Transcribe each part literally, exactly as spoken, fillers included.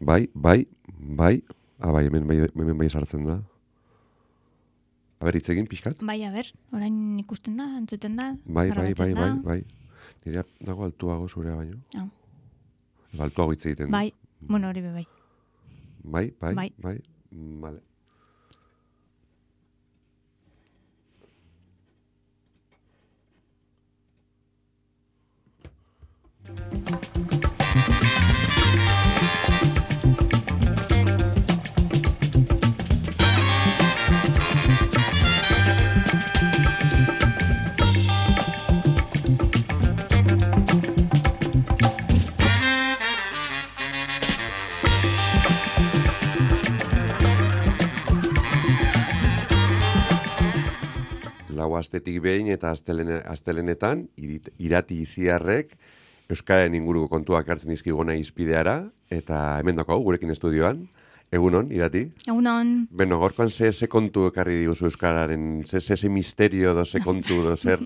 Bai, bai, bai. Ah, bai, hemen bai, hemen bai sartzen da. A ber, hitz egin pixkat? Bai, a ber, orain ikusten da, entzuten da, Bai, bai, bai, grabatzen bai, da. bai. Nirea dago altuago zurea baino. Ah. Altuago hitz egiten. Bai, bueno, hori be bai. Bai, bai, Bai. bai. Vale. Lau astetik behin eta astelene, astelenetan irit, irati iziarrek Euskararen inguruko kontuak hartzen dizkigona izpideara, eta hemen daukagu gurekin estudioan. Egunon, irati? Egunon. Beno, gorkoan ze, ze kontu ekarri diguzu Euskararen, ze, ze, ze misterio do, ze kontu do, zer?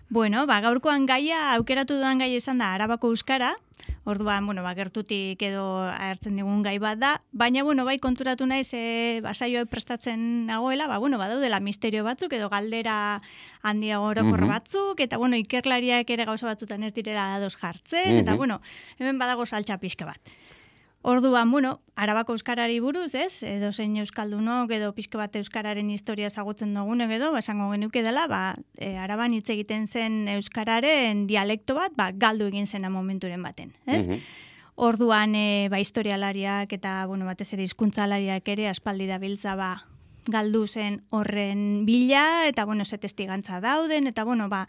Bueno, ba, gaurkoan gaia, aukeratu duan gai esan da Arabako Euskara, orduan, bueno, ba, gertutik edo hartzen digun gai bat da, baina, bueno, bai konturatu naiz, e, ba, saioa prestatzen nagoela, ba, bueno, badaudela misterio batzuk edo galdera handia orokor Mhm. batzuk, eta, bueno, ikerlariak ere gauza batzutan ez direla ados jartzen, Mhm. eta, bueno, hemen badago saltxa pixka bat. Orduan, bueno, Arabako Euskarari buruz, ez? Edo zein euskaldunok edo pixka bat euskararen historia ezagutzen dugunek edo, ba, esango genuke dela, ba, e, Araban hitz egiten zen euskararen dialekto bat, ba, galdu egin zena momenturen baten, ez? Mhm. Orduan, e, ba, historialariak eta, bueno, batez ere hizkuntzalariak ere aspaldi dabiltza, ba, galdu zen horren bila, eta, bueno, ze testigantza dauden, eta, bueno, ba,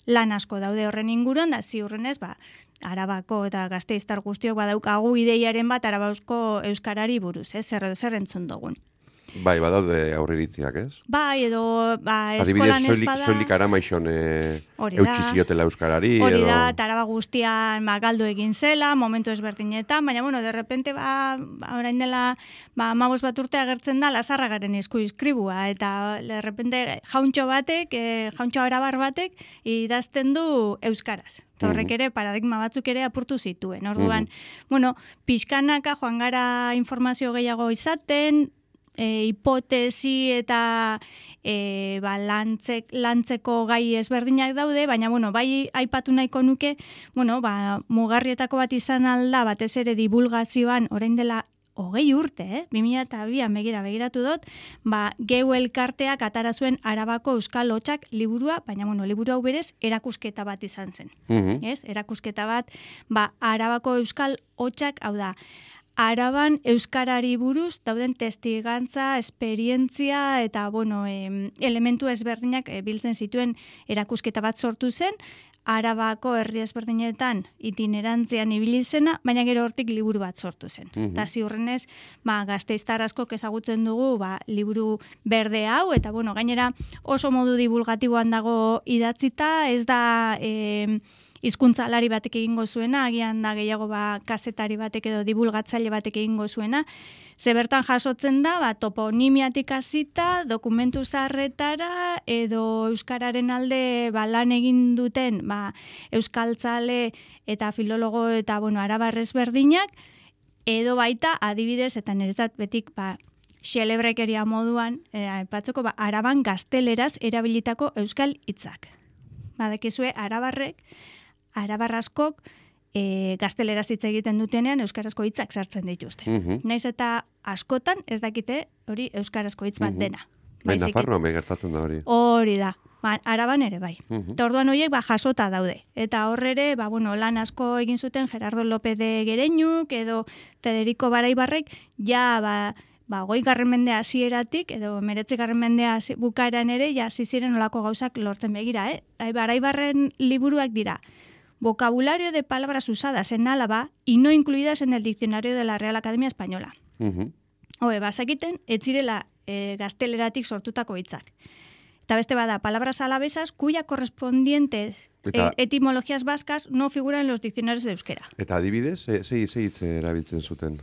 lan asko daude horren inguruan, da ziurrenez, ba, Arabako eta Gasteiztar guztiok badaukagu ideiaren bat Arabausko euskarari buruz, ez? Zer edo zer entzun dugun. Bai, badaude aurreiritziak, ez? Bai, edo ba, Adibidez, eskolan soilik, espada... soilik aramaixon e, Hori da. eutxi ziotela euskarari. Hori edo... da, eta Araba guztian ba, galdu egin zela, momentu ezberdinetan, baina, bueno, de repente, ba, ba orain dela, ba, amabos bat urte agertzen da, Lazarragaren esku iskribua, eta de repente jauntxo batek, e, jauntxo arabar batek, idazten du euskaraz. Eta horrek ere, paradigma batzuk ere apurtu zituen. Orduan, bueno, pixkanaka joan gara informazio gehiago izaten, E, hipotesi eta e, ba, lantzek, lantzeko gai ezberdinak daude, baina bueno, bai aipatu nahiko nuke, bueno, ba, mugarrietako bat izan alda, batez ere divulgazioan, orain dela hogei urte, eh? bi mila bian begira begiratu dut, ba, Geu elkarteak atara zuen Arabako Euskal Hotsak liburua, baina bueno, liburu hau berez erakusketa bat izan zen. Mhm. Ez? Erakusketa bat, ba, Arabako Euskal Hotsak, hau da, Araban euskarari buruz dauden testigantza, esperientzia eta bueno, e, elementu ezberdinak e, biltzen zituen erakusketa bat sortu zen, Arabako herri ezberdinetan itinerantzian ibili zena, baina gero hortik liburu bat sortu zen. Mhm. Eta ziurrenez, ba, Gasteiztar askok ezagutzen dugu ba, liburu berde hau, eta bueno, gainera oso modu divulgatiboan dago idatzita, ez da... E, hizkuntzalari batek egingo zuena, agian da gehiago ba, kazetari batek edo divulgatzaile batek egingo zuena, ze bertan jasotzen da, ba, toponimiatik hasita, dokumentu zaharretara, edo euskararen alde ba, lan egin duten ba, euskaltzale eta filologo eta bueno, arabar ezberdinak, edo baita adibidez, eta niretzat betik ba, xelebrekeria moduan, e, aipatzeko ba, Araban gazteleraz erabilitako euskal hitzak. Badakizue, arabarrek, arabar askok e, gazteleraz hitz egiten dutenean euskarazko hitzak sartzen dituzte. Mhm. Naiz eta askotan ez dakite hori euskarazko hitz bat Mhm. dena. Bai, Baizik Nafarroan bai gertatzen da hori. Hori da. Ba, Araban ere bai. Mhm. Eta orduan horiek ba, jasota daude. Eta horrere, ba, bueno, lan asko egin zuten Gerardo López de Gereñuk edo Federico Baraibarrek, ja, ba, ba, goi garren mende hasieratik edo meretzi garren mende hasi- bukaeran ere, ja, ziren olako gauzak lortzen begira, eh? Baraibarren liburuak dira. Vocabulario de palabras usadas en Álava y no incluidas en el diccionario de la Real Academia Española. Mhm. Hoe, bazakiten, ez zirela e, gazteleratik sortutako hitzak. Eta beste bada, palabras alavesas cuya correspondientes Eta- e, etimologías vascas no figuran en los diccionarios de euskera. Eta adibidez, ze ze ze hitz erabiltzen zuten?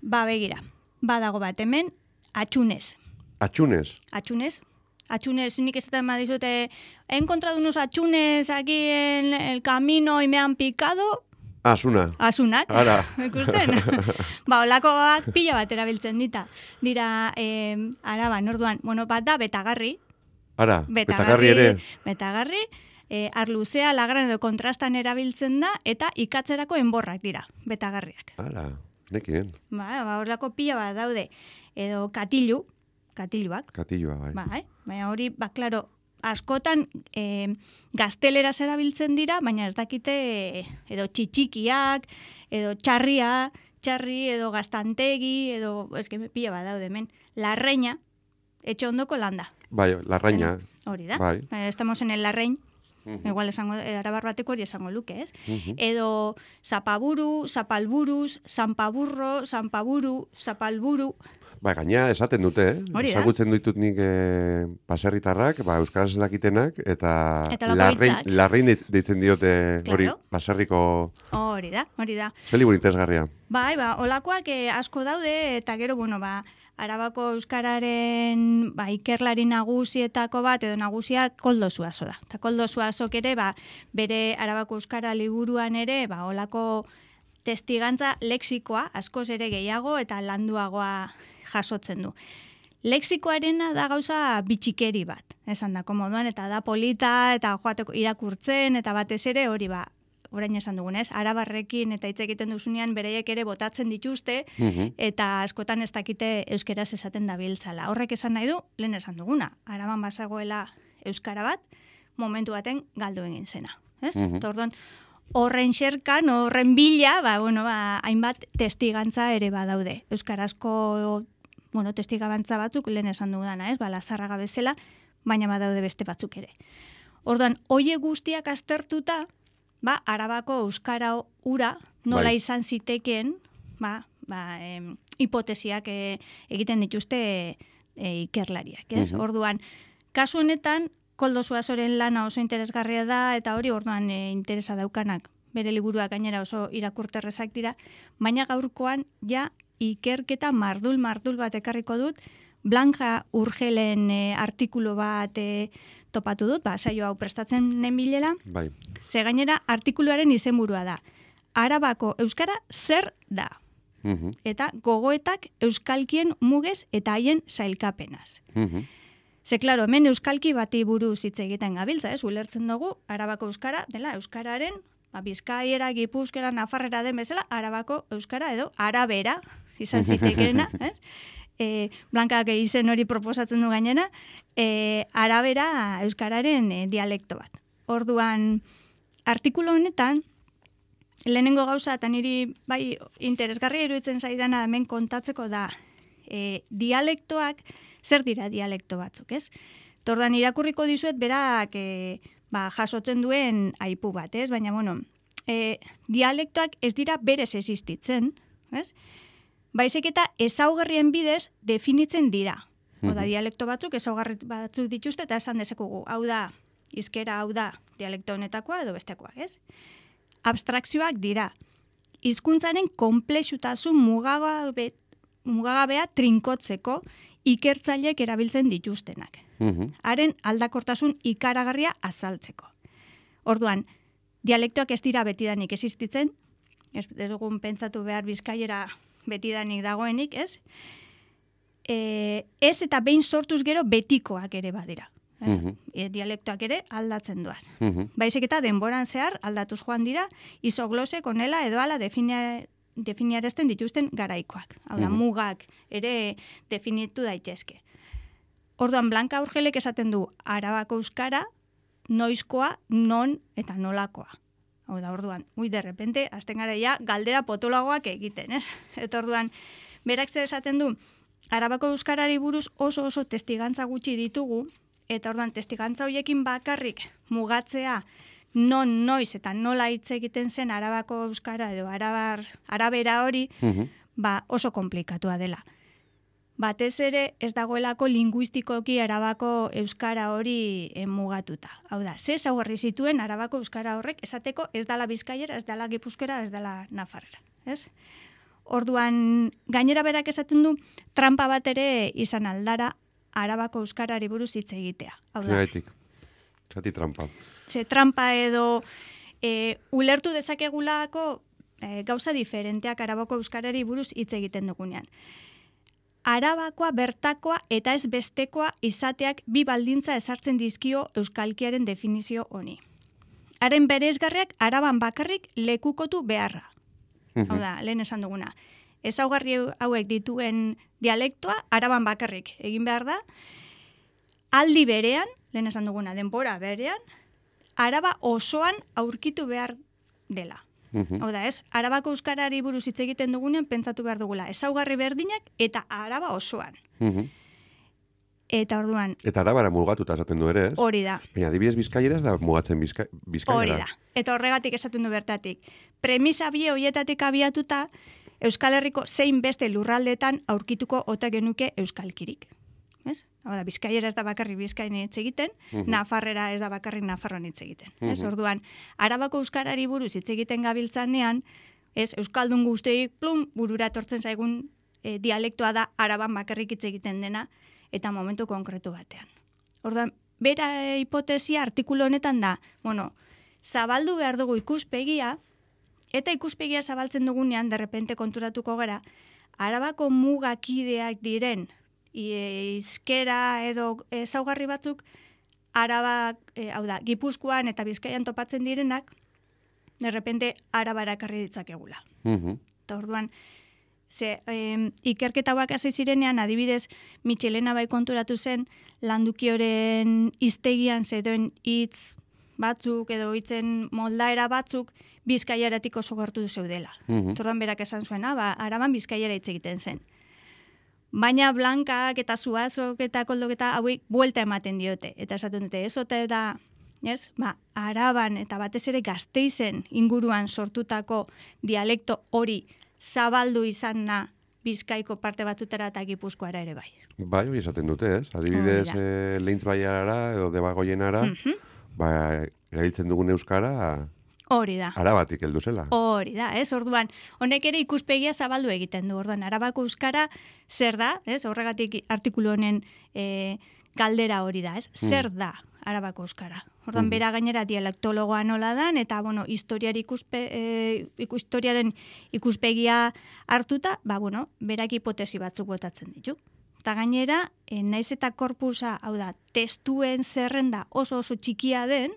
Ba, begira, badago bat hemen, atxunez. Atxunez. Atxunez. Atxunez, nik esaten badizute, he encontrado unos atxunez aquí en el camino y me han picado. Asuna. Asunak. Ara. Ikusten? Ba, olakoak pila bat erabiltzen dita. Dira, eh, araban, orduan, bueno, bat da, betagarri. Ara, betagarri ere. Betagarri, eh, arluzea, lagran edo kontrastan erabiltzen da, eta ikatzerako enborrak dira, betagarriak. Ara, nekien. Ba, ba, horrelako pila bat daude. Edo katilu, katiluak. Katilua, bai. Ba, eh? Baina hori, ba, klaro, askotan eh, gazteleraz erabiltzen dira, baina ez dakite edo txitxikiak, edo txarria, txarri, edo gaztantegi, edo, ez que pila bat daude hemen, larreina, etxe ondoko landa. Bai, larraina. Hori da. Bai. Estamos en el larrein. Uh-huh. Igual esango, arabar bateko hori esango luke, ez? Uh-huh. Edo zapaburu, zapalburuz, zanpaburro, zanpaburu, zapalburu. Ba, gaina esaten dute, eh? Hori da. Ezagutzen ditut nik eh, baserritarrak, ba, euskaraz ez dakitenak, eta, Eta larrein, lakoitzak. larrein deitzen diote hori, Claro. baserriko Hori da, hori da. zelibur interesgarria. Bai, ba, olakoak eh, asko daude, eta gero, bueno, ba, Arabako euskararen ba, ikerlari nagusietako bat, edo nagusia Koldo Zuazo da. Eta Koldo Zuazok ere, ba, bere Arabako euskara liburuan ere, ba, olako testigantza lexikoa, askoz ere gehiago eta landuagoa jasotzen du. Lexikoarena da gauza bitxikeri bat, esan da, komoduan, eta da polita, eta joateko irakurtzen, eta batez ere hori ba, orain esan dugunez, arabarrekin eta hitz egiten duzunean bereiek ere botatzen dituzte, Uh-huh. eta askotan ez dakite euskeraz esaten dabiltzala. Horrek esan nahi du, lehen esan duguna, araban bazagoela euskara bat, momentu baten galdu egin zena. Ez? Mhm. Eta orduan, horren xerkan, horren bila, ba, bueno, ba, hainbat testigantza ere badaude. Euskarazko, bueno, testigantza batzuk, lehen esan duguna, ez? Ba, Lazarraga bezala, baina badaude beste batzuk ere. Orduan, hoie guztiak aztertuta, ba, arabako euskara ura nola Bai. izan zitekeen, ba, ba, em, hipotesiak e, egiten dituzte e, ikerlariak, ez? Mhm. Orduan, kasu honetan, Koldo Zuazoren lana oso interesgarria da, eta hori orduan e, interesa daukanak, bere liburuak gainera oso irakurterrezak dira, baina gaurkoan ja ikerketa mardul-mardul bat ekarriko dut, Blanca Urgelen e, artikulu bat e, topatu dut, ba, saio hau prestatzen nenbilela, Bai. ze gainera artikuluaren izenburua da. Arabako euskara zer da? Uh-huh. Eta gogoetak euskalkien mugez eta haien sailkapenaz. Uh-huh. Ze, klaro, hemen euskalki bati buruz hitz egiten gabiltza, ez? Ulertzen dugu, arabako euskara, dela, euskararen, ba, bizkaiera, gipuzkera, nafarrera den bezala, arabako euskara edo arabera, izan zitekeena, ez? E, Blankak izen hori proposatzen du gainera, e, arabera euskararen e, dialekto bat. Orduan, artikulu honetan, lehenengo gauza, eta niri bai interesgarria iruditzen zaidana hemen kontatzeko da, e, dialektoak, zer dira dialekto batzuk, ez? Tordan irakurriko dizuet berak e, ba, jasotzen duen aipu bat, ez? Baina, bueno, e, dialektoak ez dira berez existitzen, ez? Baizik eta ezaugarrien bidez definitzen dira. Oda, dialekto batzuk ezaugarri batzuk dituzte eta esan dezekugu. Hau da, hizkera hau da dialekto honetakoa edo bestekoa, ez? Abstrakzioak dira. Hizkuntzaren konplexutasun mugagabe, mugagabea trinkotzeko ikertzaileek erabiltzen dituztenak. Uh-huh. Haren aldakortasun ikaragarria azaltzeko. Orduan, dialektoak ez dira betidanik existitzen, ez, ez dugun pentsatu behar bizkaiera betidanik dagoenik, ez? E, ez eta behin sortuz gero betikoak ere badira. Ez? Mhm. E, dialektoak ere aldatzen duaz. Uh-huh. Baizik eta denboran zehar aldatuz joan dira, isoglosek onela edo ala definia, definiarazten dituzten garaikoak. Hau da, Mhm. mugak ere definitu daitezke. Orduan, Blanca Urgelek esaten du, arabako euskara, noizkoa, non eta nolakoa. Hau da, orduan, ui, de repente, azten gara ja, galdera potolagoak egiten, ez? Eta orduan, berak zer esaten du, arabako euskarari buruz oso oso testigantza gutxi ditugu, eta orduan, testigantza horiekin bakarrik mugatzea, non, noiz eta nola hitz egiten zen arabako euskara edo arabar, arabera hori, Uh-huh. ba, oso komplikatua dela. Batez ere ez dagoelako linguistikoki arabako euskara hori eh, mugatuta. Hau da, ze ezaugarri zituen arabako euskara horrek esateko ez dala bizkaiera, ez dala gipuzkera, ez dala nafarrera. Ez? Orduan, gainera berak esaten du, trampa bat ere izan aldara arabako euskarari buruz hitz egitea. Hau da, Zeraitik. Zati trampa. ze trampa edo e, ulertu dezakegulako e, gauza diferenteak Arabako euskarari buruz hitz egiten dugunean. Arabakoa, bertakoa eta ez bestekoa izateak bi baldintza ezartzen dizkio euskalkiaren definizio honi. Haren bereizgarriak araban bakarrik lekukotu beharra. Hau da, lehen esan duguna. Ezaugarri hauek dituen dialektoa araban bakarrik egin behar da. Aldi berean, lehen esan duguna, denbora berean, Araba osoan aurkitu behar dela. Hau da, ez? Arabako euskarari buruz hitz egiten dugunean pentsatu behar dugula. Ezaugarri berdinak eta Araba osoan. Eta orduan... Eta Arabara mugatuta esaten du ere, ez? Hori da. Baina adibidez Bizkaiera ez da mugatzen bizka, Bizkaiera. Hori da. Eta horregatik esaten du bertatik. Premisa bie hoietatik abiatuta, Euskal Herriko zein beste lurraldeetan aurkituko ote genuke euskalkirik. Ez? Hau da, Bizkaiera ez da bakarrik Bizkain hitz egiten, uh -huh. Nafarrera ez da bakarrik Nafarroan hitz egiten. Uh -huh. Ez? Orduan, Arabako euskarari buruz hitz egiten gabiltzanean, ez, euskaldun guztiei plum burura etortzen zaigun e, dialektoa da Araban bakarrik hitz egiten dena eta momentu konkretu batean. Orduan, bera e, hipotesia artikulu honetan da, bueno, zabaldu behar dugu ikuspegia, eta ikuspegia zabaltzen dugunean, derrepente konturatuko gara, Arabako mugakideak diren hizkera edo ezaugarri batzuk Araba, e, hau da, Gipuzkoan eta Bizkaian topatzen direnak, derrepente Arabara ekarri ditzakegula. Uh-huh. Eta orduan, ze, e, ikerketa hauak hasi zirenean, adibidez, Michelena bai konturatu zen, Landukioren hiztegian zedoen hitz batzuk edo hitzen moldaera batzuk Bizkaiaratik oso gertu zeudela. Uh-huh. Orduan berak esan zuena, ba, Araban Bizkaiara hitz egiten zen. Baina blankak eta zuazok eta koldok eta hauek buelta ematen diote. Eta esaten dute, ez ote da, ez? Ba, Araban eta batez ere Gasteizen inguruan sortutako dialekto hori zabaldu izana Bizkaiko parte batzutara eta Gipuzkoara ere bai. Bai, hori esaten dute, ez? Adibidez, eh, Leintz Baiara edo Debagoienara, uh-huh. ba, erabiltzen dugun euskara... Hori da. Arabatik heldu zela. Hori da, ez? Orduan, honek ere ikuspegia zabaldu egiten du. Orduan, Arabako euskara zer da, ez? Horregatik artikulu honen e, galdera hori da, ez? Zer da Arabako euskara? Orduan, mm. bera gainera dialektologoa nola dan, eta, bueno, historiari ikuspe, e, historiaren ikuspegia hartuta, ba, bueno, berak hipotesi batzuk botatzen ditu. Eta gainera, e, naiz eta korpusa, hau da, testuen zerrenda oso oso txikia den,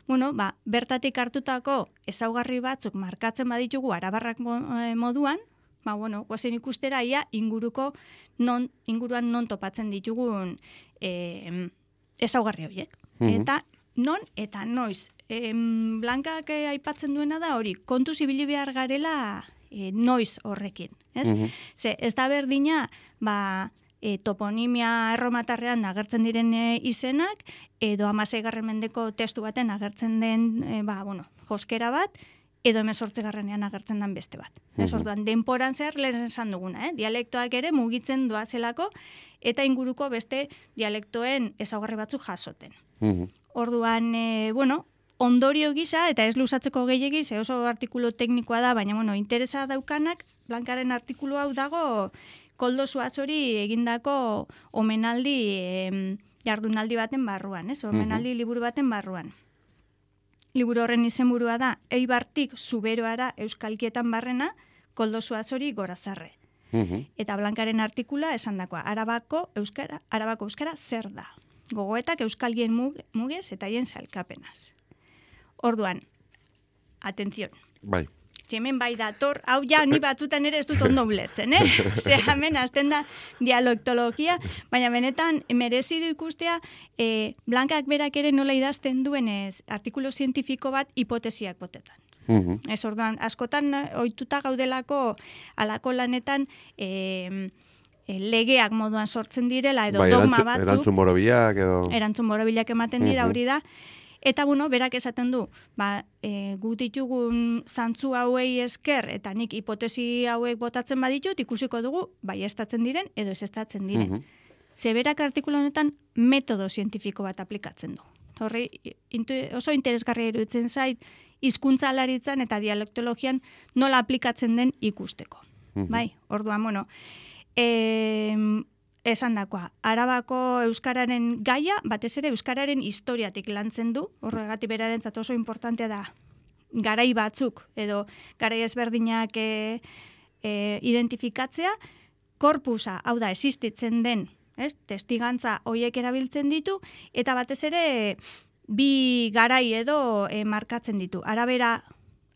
bueno, ba, bertatik hartutako ezaugarri batzuk markatzen baditugu arabarrak moduan, ba, bueno, guazen ikustera ia inguruko non, inguruan non topatzen ditugun e, ezaugarri horiek. Mm-hmm. Eta non eta noiz. E, Blankak e, aipatzen duena da hori, kontu zibili behar garela e, noiz horrekin. Ez? Mm-hmm. Ze, ez da berdina, ba, E, toponimia erromatarrean agertzen diren e, izenak, edo hamaseigarren mendeko testu baten agertzen den e, ba, bueno, joskera bat, edo hemezortzigarrenean agertzen den beste bat. Uh-huh. Ez orduan, denporan zehar lehen esan duguna, eh? Dialektoak ere mugitzen doazelako, eta inguruko beste dialektoen ezaugarri batzuk jasoten. Uh-huh. Orduan, e, bueno, ondorio gisa, eta ez luzatzeko gehiegi, ze oso artikulu teknikoa da, baina bueno, interesa daukanak, Blankaren artikulu hau dago, Koldo Zuazori egindako omenaldi e, jardunaldi baten barruan, ez? Omenaldi uh-huh. liburu baten barruan. Liburu horren izenburua da Eibartik Zuberoara euskalkietan barrena, Koldo Zuazori Gorazarre. Uh-huh. Eta Blankaren artikula esandakoa, Arabako euskara, Arabako euskara zer da? Gogoetak euskalgien mug, mugez eta hien salkapenaz. Orduan, atención. Bai. Hemen bai dator, hau ja ni batzutan ere ez dut ondo ulertzen, eh? Ze hemen azten da dialektologia, baina benetan merezi du ikustea e, Blankak berak ere nola idazten duenez artikulu zientifiko bat hipotesiak botetan. Uh-huh. Ez orduan, askotan ohituta gaudelako alako lanetan e, e, legeak moduan sortzen direla edo bai, dogma batzuk. Erantzun borobilak edo... Erantzun borobilak ematen dira, uh-huh. hori da. Eta, bueno, berak esaten du, ba, e, gu ditugun zantzu hauei esker, eta nik hipotesi hauek botatzen baditut, ikusiko dugu, bai estatzen diren, edo ez estatzen diren. Uh-huh. Ze berak artikulu honetan metodo zientifiko bat aplikatzen du. Horri, intu, oso interesgarria iruditzen zait, hizkuntzalaritzan eta dialektologian nola aplikatzen den ikusteko. Uh-huh. Bai, orduan, bueno, e, esan dakoa, Arabako euskararen gaia, batez ere euskararen historiatik lantzen du, horregatik berarentzat oso importantea da garai batzuk edo garai ezberdinak e, e, identifikatzea, korpusa, hau da, existitzen den, ez? Testigantza hoiek erabiltzen ditu, eta batez ere bi garai edo e, markatzen ditu. Arabera,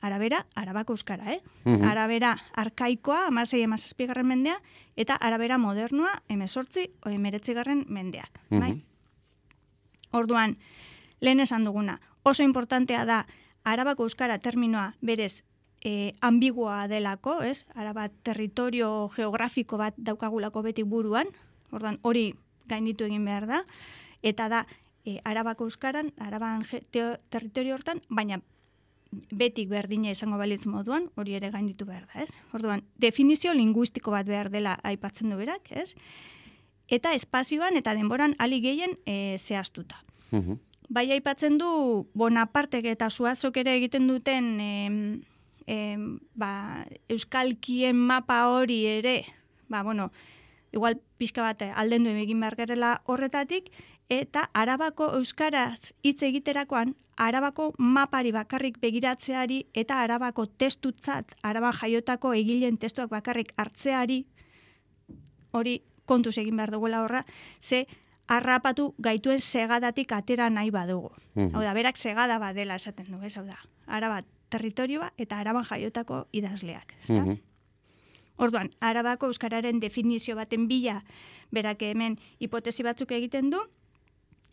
arabera, arabako euskara, eh? Mhm. Arabera arkaikoa, hamasei hamazazpigarren mendea, eta arabera modernoa, hemezortzi o hemeretzigarren mendeak. Bai? Mhm. Orduan, lehen esan duguna, oso importantea da arabako euskara terminoa berez e, ambiguoa delako, ez? Araba territorio geografiko bat daukagulako beti buruan, orduan hori gainditu egin behar da, eta da e, arabako euskaran, araban ge- teo- territorio hortan, baina betik berdina izango balitz moduan, hori ere gainditu behar da, ez? Orduan, definizio linguistiko bat behar dela aipatzen du berak, ez? Eta espazioan eta denboran ali gehien e, zehaztuta. Mhm. Bai aipatzen du Bonapartek eta Zuazok ere egiten duten em, em, ba, euskalkien mapa hori ere, ba, bueno, igual pixka bat aldendu egin behar gerela horretatik, eta arabako euskaraz hitz egiterakoan, arabako mapari bakarrik begiratzeari eta arabako testutzat, araban jaiotako egileen testuak bakarrik hartzeari, hori kontuz egin behar duguela horra, ze harrapatu gaituen segadatik atera nahi badugu. Mhm. Hau da, berak segada badela esaten du, ez? Hau da, araba territorioa eta araban jaiotako idazleak, ezta? Mhm. Orduan, arabako euskararen definizio baten bila berak hemen hipotesi batzuk egiten du,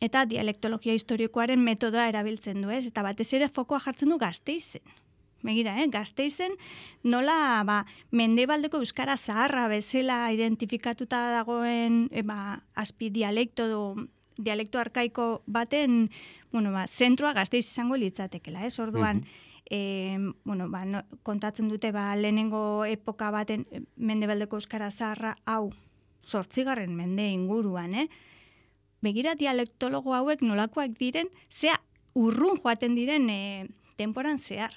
eta dialektologia historikoaren metodoa erabiltzen du, ez? Eta batez ere fokoa jartzen du Gasteizen. Begira, eh? Gasteizen nola ba, mendebaldeko euskara zaharra bezala identifikatuta dagoen e, ba, azpi dialekto do, dialekto arkaiko baten, bueno, ba, zentroa Gasteiz izango litzatekela, ez? Orduan, e, bueno, ba, no, kontatzen dute ba, lehenengo epoka baten e, mendebaldeko euskara zaharra hau zortzigarren mende inguruan, eh? Begira dialektologo hauek nolakoak diren, zea urrun joaten diren e, temporan zehar.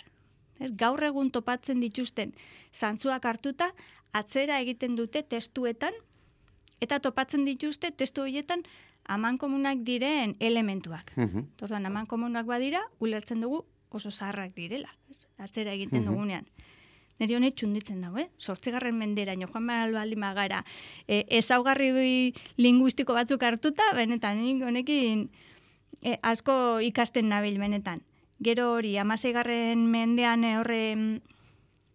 Ez, gaur egun topatzen dituzten zantzuak hartuta, atzera egiten dute testuetan, eta topatzen dituzte testu horietan amankomunak diren elementuak. Mhm. Orduan, amankomunak badira, ulertzen dugu oso zaharrak direla, ez? Atzera egiten Mhm. dugunean. Neri honet txunditzen dago, eh? Zortzigarren menderaino, joan behar baldin magara, e, ezaugarri linguistiko batzuk hartuta, benetan, nik honekin e, asko ikasten nabil, benetan. Gero hori, hamaseigarren mendean e, horre,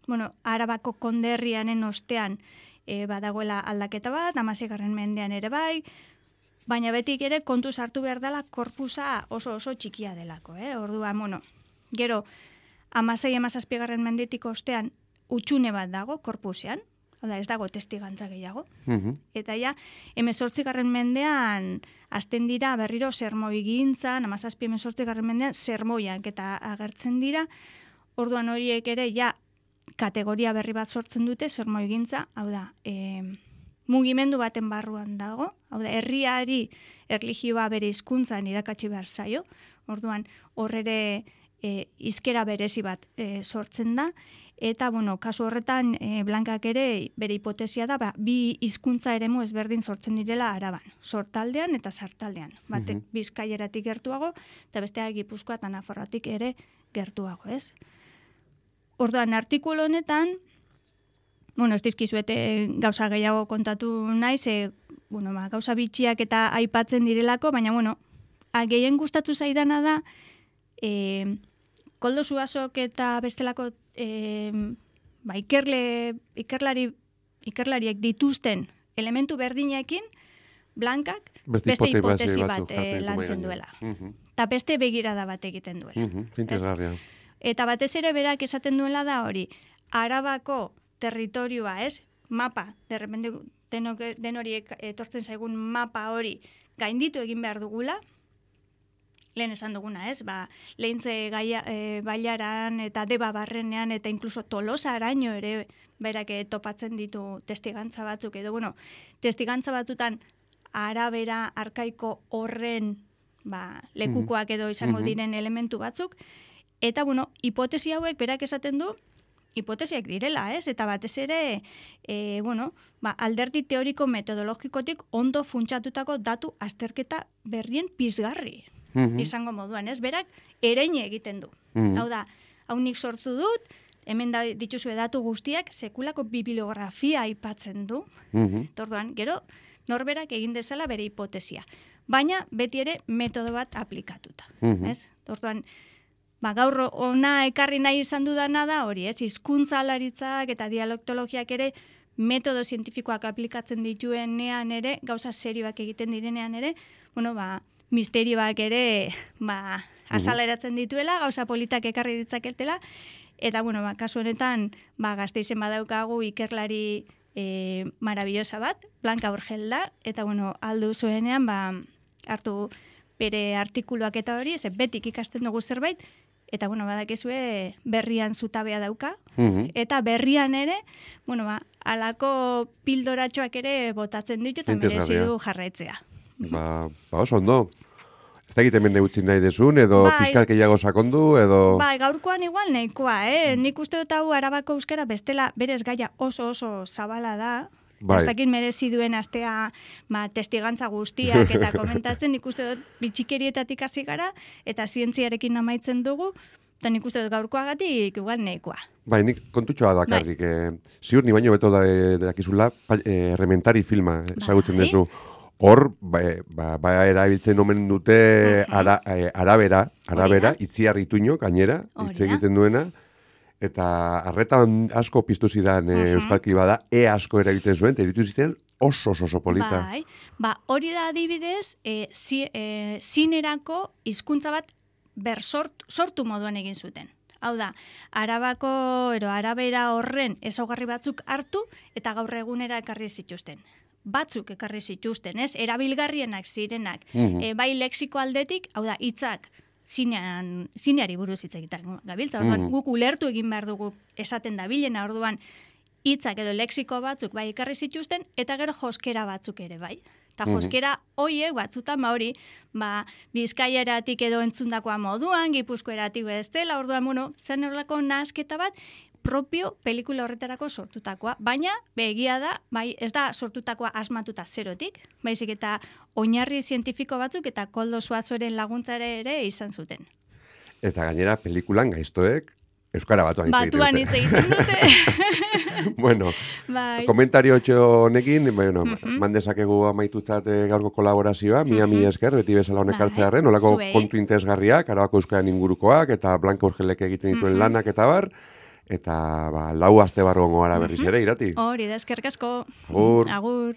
bueno, arabako konderrianen ostean e, badagoela aldaketa bat, hamaseigarren mendean ere bai, baina betik ere kontu sartu behar dela korpusa oso oso txikia delako, eh? Orduan, bueno, gero, hamasei hamazazpigarren mendetik ostean utxune bat dago korpusean, hau da ez dago testigantza gehiago, Mhm. eta ja, hemezortzigarren mendean hasten dira berriro sermoi gintzan, hamazazpi hemezortzigarren mendean sermoiak eta agertzen dira, orduan horiek ere ja kategoria berri bat sortzen dute sermoi gintza, hau da, e, mugimendu baten barruan dago, hau da, herriari erlijioa bere hizkuntzan irakatsi behar zaio, orduan horrere e, hizkera berezi bat e, sortzen da, eta, bueno, kasu horretan, e, Blankak ere bere hipotesia da, ba, bi hizkuntza eremu ezberdin sortzen direla Araban, sortaldean eta sartaldean. Batek Mhm. Bizkaieratik gertuago, eta besteak Gipuzkoa eta Nafarroatik ere gertuago, ez? Orduan, artikulu honetan, bueno, ez dizkizuete gauza gehiago kontatu naiz, e, bueno, ba, gauza bitxiak eta aipatzen direlako, baina, bueno, a, gehien gustatu zaidana da, e, Koldo Zuazok eta bestelako e, ba, ikerle, ikerlari, ikerlariek dituzten elementu berdinekin, Blankak Beste beste hipotesi hipotesi batzuk bat jartzen eh, ditu mahai lantzen gainean. duela. Mhm. Eta beste begirada bat egiten duela. Mhm. Interesgarria. Eta batez ere berak esaten duela da hori, Arabako territorioa, ez? Mapa, derrepende denok, den hori etortzen zaigun mapa hori gainditu egin behar dugula, lehen esan duguna, ez? Ba, lehintze gaia, e, bailaran eta deba barrenean eta inkluso tolosa araño ere berak eh, topatzen ditu testigantza batzuk, edo bueno, testigantza batzutan arabera arkaiko horren ba, lekukoak edo izango Mhm. diren elementu batzuk, eta bueno, hipotesi hauek berak esaten du, hipotesiak direla, ez? Eta batez ere, e, bueno, ba, alderdi teoriko metodologikotik ondo funtsatutako datu azterketa berrien pizgarri Mhm. izango moduan, ez? Berak ereine egiten du. Mhm. Hau da, hau nik sortu dut, hemen da dituzue datu guztiak, sekulako bibliografia aipatzen du. Mhm. Orduan, gero, norberak egin dezala bere hipotesia. Baina, beti ere, metodo bat aplikatuta. Mhm. Ez? Orduan, ba, gaur ona ekarri nahi izan dudana da, hori, ez? Hizkuntzalaritzak eta dialektologiak ere, metodo zientifikoak aplikatzen dituenean ere, gauza serioak egiten direnean ere, bueno, ba, misterioak ere, ba, azaleratzen dituela, gauza politak ekarri ditzaketela, eta, bueno, ba, kasu honetan, ba, Gasteizen badaukagu ikerlari e, marabillosa bat, Blanca Urgel da, eta, bueno, aldu zuenean, ba, hartu bere artikuluak eta hori, ez betik ikasten dugu zerbait, eta, bueno, badakizue berrian zutabea dauka, Mhm. eta berrian ere, bueno, ba, alako pildoratxoak ere botatzen ditu, eta merezi Interesgarria. du jarraitzea. Ba, ba oso ondo. Ez da egiten mende utzi nahi desun, edo Bai. pizkal gehiago sakondu, edo... Bai, gaurkoan igual nahikoa, eh? Nik uste dut hau Arabako euskara bestela berez gaia oso oso zabala da. Bai. Ez dakit merezi duen astea ba, testigantza guztiak eta komentatzen, nik uste dut bitxikerietatik hasi gara, eta zientziarekin amaitzen dugu, eta nik uste dut gaurkoagatik igual nahikoa. Bai, nik kontutxoa dakarrik. Eh, ziur ni baino beto da, eh, dakizula, pa- eh, errementari filma ezagutzen Bai. duzu. Hor, ba, ba, ba erabiltzen omen dute ara, eh, arabera, arabera, Hori da. itziar ituño, gainera, Hori hitz da. egiten duena, eta arretan asko piztu zidan eh, euskalki bada, e asko eragiten zuen, eta iritu ziren oso oso oso polita. Bai, ba, hori da adibidez, e, zi, e, zinerako hizkuntza bat bersort, sortu moduan egin zuten. Hau da, arabako, ero, arabera horren ezaugarri batzuk hartu, eta gaur egunera ekarri zituzten. Batzuk ekarri zituzten, ez? Erabilgarrienak zirenak. Mhm. E, bai lexiko aldetik, hau da, hitzak, zinean, zineari buruz hitz egiten gabiltza. Orduan, Mhm. guk ulertu egin behar dugu esaten dabilena, orduan, hitzak edo lexiko batzuk bai ekarri zituzten, eta gero joskera batzuk ere bai. Eta joskera hoiek batzutan ba hori, ba, Bizkaieratik edo entzundakoa moduan, Gipuzkoeratik bestela, orduan, bueno, zen horrelako nahasketa bat, propio pelikula horretarako sortutakoa. Baina, begia da, bai, ez da sortutakoa asmatuta zerotik, baizik eta oinarri zientifiko batzuk eta Koldo Suazoren laguntzare ere izan zuten. Eta gainera, pelikulan gaiztoek euskara batuan hitz egiten Batuan dute. hitz egiten dute. Bueno, Bai. komentario honekin, bueno, man dezakegu amaitutzat eh, gaurko kolaborazioa, mia mi esker, beti bezala honek Bai, hartzearen, nolako zuei. kontu interesgarriak, Arabako euskaren ingurukoak, eta Blanca Urgelek egiten dituen lanak eta bar, eta ba, lau aste barru gongo gara berriz ere, irati. Hori da, eskerrik asko. Agur. Agur.